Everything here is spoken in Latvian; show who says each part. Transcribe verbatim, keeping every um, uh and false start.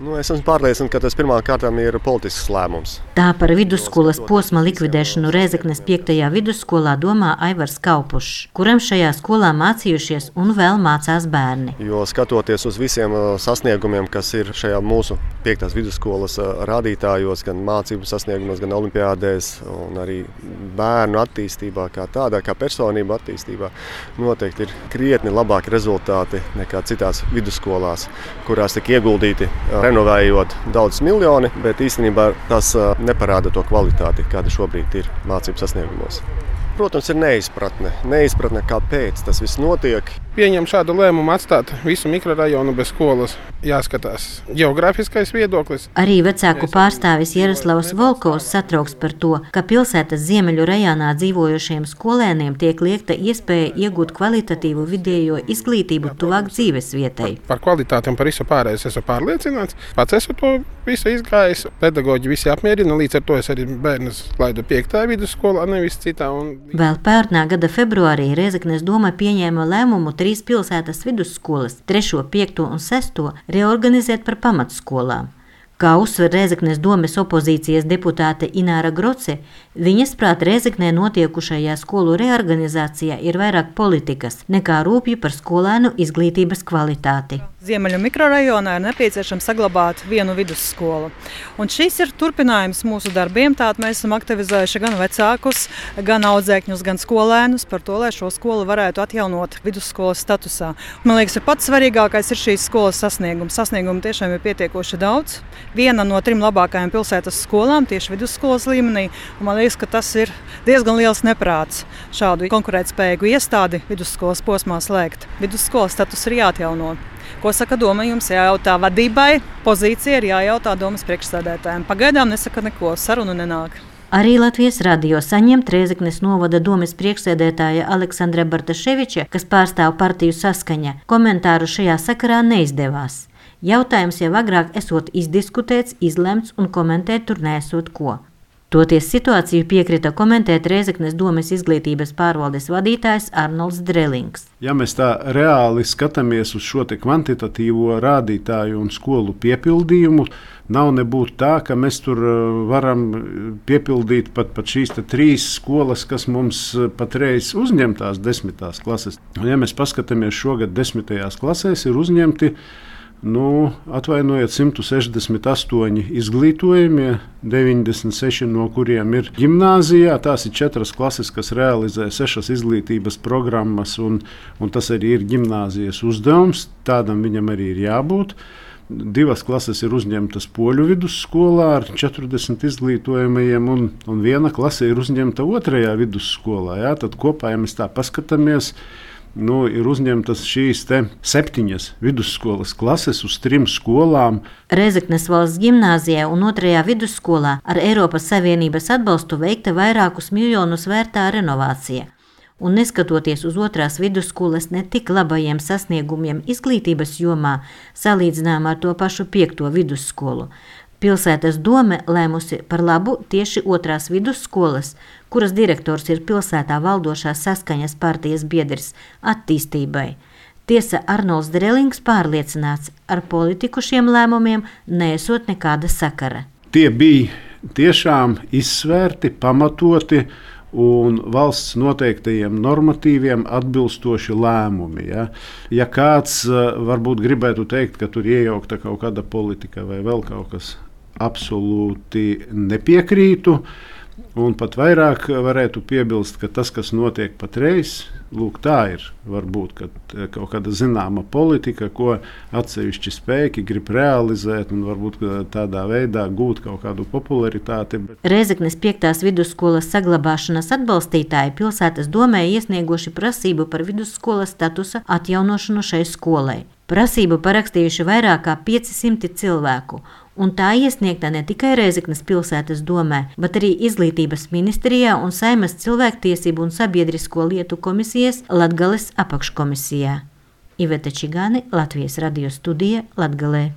Speaker 1: Nu, es esmu pārliecināts, ka tas pirmām kārtām ir politisks lēmums.
Speaker 2: Tā par vidusskolas posma likvidēšanu Rēzeknes piektajā vidusskolā domā Aivars Kaupušs, kuram šajā skolā mācījušies un vēl mācās bērni.
Speaker 1: Jo skatoties uz visiem sasniegumiem, kas ir šajā mūsu piektās vidusskolas rādītājos, gan mācību sasniegumos, gan olimpiādēs, un arī bērnu attīstībā kā tādā, kā personību attīstībā, noteikti ir krietni labāki rezultāti nekā citās vidusskolās, kurās tika ieguldīti renovējot daudz miljoni, bet īstenībā tas neparāda to kvalitāti, kāda šobrīd ir mācību sasniegumos. Protams, ir neizpratne. Neizpratne, kāpēc tas viss notiek.
Speaker 3: Pieņem šādu lēmumu atstāt visu mikrorajonu bez skolas. Jāskatās geogrāfiskais viedoklis.
Speaker 2: Arī vecāku pārstāvis Jaroslavs Volkovs satrauks par to, ka pilsētas ziemeļu rajonā dzīvojošiem skolēniem tiek liekta iespēja iegūt kvalitatīvu vidējo izglītību tuvāk dzīves vietai.
Speaker 3: Par kvalitāti un par visu pārējais esmu pārliecināts. Pats esmu to visu izgājis. Pedagoģi visi apmierina, līdz ar to es arī bērnus laidu piektā vidusskolā, nevis citā. Un...
Speaker 2: Vēl pērnā gada februārī Rēzeknes doma pieņēma lēmumu trīs pilsētas vidusskolas, trešo, piekto un sesto, reorganizēt par pamatskolām. Kā uzsver Rēzeknes domes opozīcijas deputāte Ināra Groce, viņas prāt Rēzeknē notiekušajā skolu reorganizācijā ir vairāk politikas nekā rūpju par skolēnu izglītības kvalitāti.
Speaker 4: Ziemeļu mikrorajonā ir nepieciešams saglabāt vienu vidusskolu. Un šis ir turpinājums mūsu darbiem. Tātad mēs esam aktivizējuši gan vecākus, gan audzēkņus, gan skolēnus par to, lai šo skolu varētu atjaunot vidusskolas statusā. Man liekas, ka pats svarīgākais ir šīs skolas sasniegums. Sasniegumu tiešām ir pietiekoši daudz. Viena no trim labākajām pilsētas skolām tieši vidusskolas līmenī. Un man liekas, ka tas ir diezgan liels neprāts šādu konkurētspējīgu iestādi vidusskolas posmā slēgt. Vidusskolas status ir jāatjauno. Ko saka doma? Jums jājautā vadībai, pozīcija ir jājautā domas priekšsēdētājiem. Pagaidām nesaka neko, sarunu nenāk.
Speaker 2: Arī Latvijas radio saņemt Rēzeknes novada domes priekšsēdētāja Aleksandra Bartaševiča, kas pārstāv partiju Saskaņa, komentāru šajā sakarā neizdevās. Jautājums jau agrāk esot izdiskutēts, izlemts un komentēt tur nesot ko. Toties situāciju piekrita komentēt Rēzeknes domes izglītības pārvaldes vadītājs Arnolds Drelings.
Speaker 5: Ja mēs tā reāli skatāmies uz šo te kvantitatīvo rādītāju un skolu piepildījumu, nav nebūtu tā, ka mēs tur varam piepildīt pat, pat šīs te trīs skolas, kas mums patreiz uzņemtās desmitās klases. Un ja mēs paskatāmies šogad desmitajās klasēs, ir uzņemti Nu, atvainojiet, simt sešdesmit astoņi izglītojumie, deviņdesmit seši no kuriem ir ģimnāzijā. Tās ir četras klases, kas realizē sešas izglītības programmas, un, un tas arī ir ģimnāzijas uzdevums. Tādam viņam arī ir jābūt. Divas klases ir uzņemtas poļu vidusskolā ar četrdesmit izglītojumajiem, un, un viena klase ir uzņemta otrajā vidusskolā. Jā? Tad kopā, ja mēs tā paskatāmies, Nu, ir uzņemtas šīs te septiņas vidusskolas klases uz trim skolām.
Speaker 2: Rēzeknes valsts ģimnāzijā un otrajā vidusskolā ar Eiropas Savienības atbalstu veikta vairākus miljonus vērtā renovācija. Un neskatoties uz otrās vidusskolas ne tik labajiem sasniegumiem izglītības jomā, salīdzinām ar to pašu piekto vidusskolu, pilsētas dome lēmusi par labu tieši otrās vidusskolas, kuras direktors ir pilsētā valdošās Saskaņas partijas biedrs, attīstībai. Tiesa Arnolds Drelings pārliecināts, ar politiku šiem lēmumiem neesot nekāda sakara.
Speaker 5: Tie bija tiešām izsvērti, pamatoti un valsts noteiktajiem normatīviem atbilstoši lēmumi. Ja, ja kāds varbūt gribētu teikt, ka tur iejaukta kaut kāda politika vai vēl kaut kas, absolūti nepiekrītu. Un pat vairāk varētu piebilst, ka tas, kas notiek patreiz, lūk, tā ir varbūt kaut kāda zināma politika, ko atsevišķi spēki grib realizēt un varbūt tādā veidā gūt kaut kādu popularitāti.
Speaker 2: Rēzeknes piektās vidusskolas saglabāšanas atbalstītāji pilsētas domē iesnieguši prasību par vidusskolas statusa atjaunošanu šai skolai. Prasību parakstījuši vairāk kā piecsimt cilvēku, un tā iesniegta ne tikai Rēzeknes pilsētas domē, bet arī Izglītības ministrijā un Saeimas cilvēktiesību un sabiedrisko lietu komisijas Latgales apakškomisijā. Iveta Čigāne, Latvijas radio studija, Latgalē.